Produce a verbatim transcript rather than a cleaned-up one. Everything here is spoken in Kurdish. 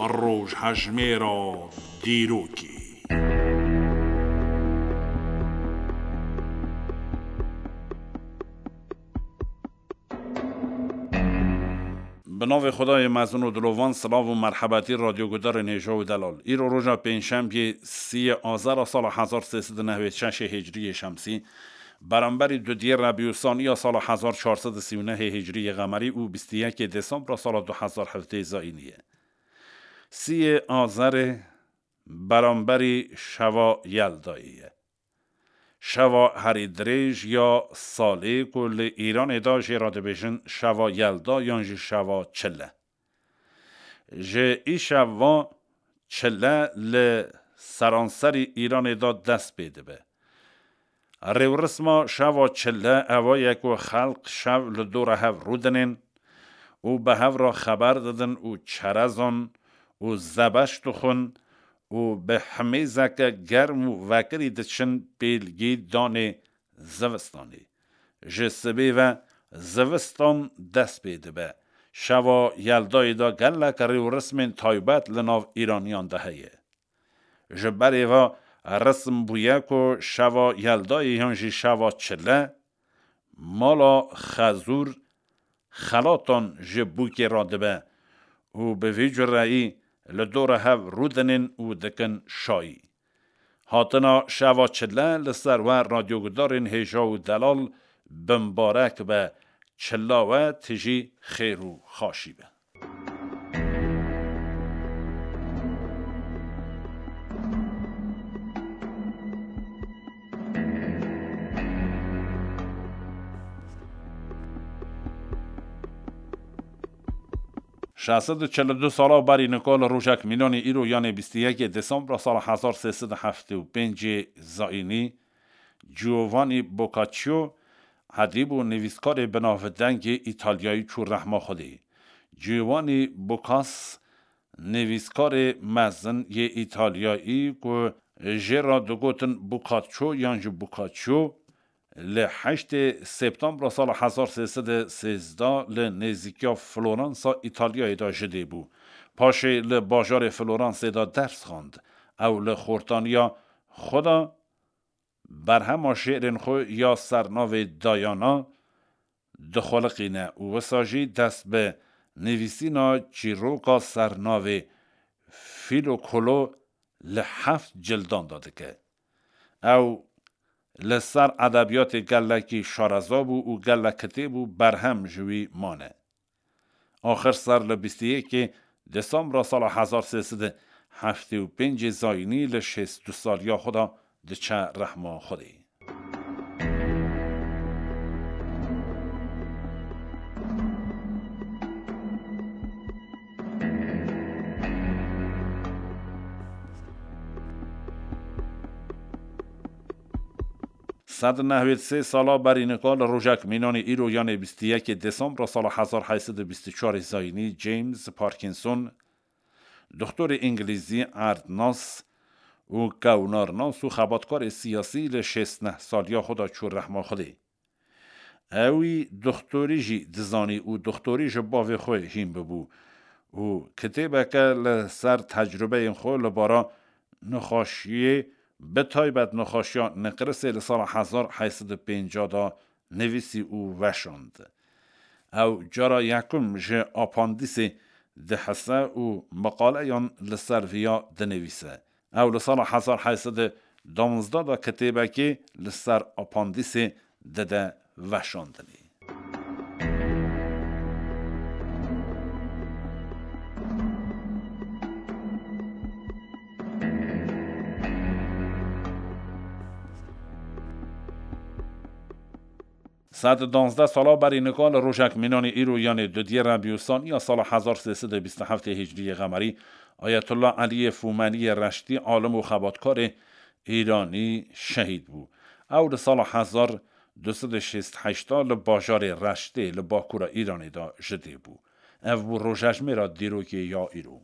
Rojhejmêra dîrokê. Bi navê Xwedayê mezin û dilovan, silav û merhebetî radyogudarên hêja û delal. Îro roja pêncşembiyê siyê Azera sala hezar sê sed û nehwêd şeşê hicriyê şemsî, beramberî dudiyê Rebîusaniya sala hezar çar sed û sî û nehê hicriyê qemerî û bîst û yekê Desembra sala du hezar hevdeh zayînî ye. Siyê Azerê beramberî şeva Yeldayê ye. Şeva herî dirêj ya salê ku li Îranê de jê re dibêjin şeva Yelda yan jî şeva Çile. Ji îşeva Çile li seranserî Îranê de dest pê dibe. Rêwrisma şeva Çile ewa ye ku xelq şev li dora hev rûdinên û bi hev re xeber didin û çerezan û zebeş dixwin û bi himêzeke germ û vekirî diçin pêlgî danê zivistanê. Ji sibê ve zivistan dest pê dibe. Şeva Yeldayê de gelek rêwrismên taybet li nav Îraniyan de heye. Ji berê ve rism bûye ku şeva Yeldayê yan jî şeva Çile, mala xezûr xelatan ji bûkê radibe û bi vî cureyî li dora hev rûdinên û dikin şayî. Hatina şeva Çile li ser we radyogudarên hêja û delal bimbarek be, çila we tijî xêr û xaşî be. Şeş sed û çil û du sala berî nika li rojek mînanî îro, yanê bîst û yekê Desembra sala hezar sê sed û heftê û pêncê zayînî, Giovanni Boccaccio, edîb û nivîskarê binavdengê Îtalyayî çû rehma Xwedê. Giovanni Boccas, nivîskarê mezin yê Îtalyayî ku jê re digotin Boccaccio yan jî Boccaccio, li heştê Septembra sala hezar sê sed û sêzdeh li nêzîkiya Floransa Îtalyayê de ji dê bû. Paşê li bajarê Floransê de ders xwend. Ew li xortaniya xwe de berhema şêrên xwe ya sernavê Dayana dixweliqîne û wisa jî dest bi nivîsîna çîroka sernavê Filokolo li heft cildan de dike. Ew li ser edebiyatê gelekî şareza bû û gelek kitêb û berhem ji wî mane. Axir ser li bîst û yekê Desembra sala hezar sê sed û heftê û pêncê zayînî li şêst û du saliya xwe de diçe rehma Xwedê. Sed û nehwêd sê sala berî nika li rojek mînanê îro, yanê bîst û yekê Desembra sala hezar heyt sed û bîst û çarê zayînî, James Parkinson, doktorê îngilîzî, erdnas û kewnarnas û xebatkarê siyasî li şêst neh saliya xwe de çû rehma Xwedê. Ewî doktorî jî dizanî û doktorî ji bavê xwe hîn bibû û kitêbeke li ser tecrubeyên xwe li bara nexweşiyê, bi taybet nexweşiya nêqrisê, li sala hezar heyt sed û pêncah de nivîsî û weşand. Ew cara yekum ji apandîsê dihese û meqaleyan li ser viya dinivîse. Ew li sala hezar heyt sed û duwazdeh de kitêbekê li ser apandîsê dide weşandinê. Sed û duwazdeh sala berî nika li rojek mînanê îro, yanê dudiyê Rebîusaniya sala hezar sê sed û bîst û heftê hicriyê qemerî, Ayetullah Eliyê Fûmeniyê Reştî, alim û xebatkarê îranî şehîd bû. Ew li sala hezar du sed û şêst heşt li bajarê Reştê li bakûra Îranê de ji dê bû. Ev bû rojejmêra dîrokê ya îro.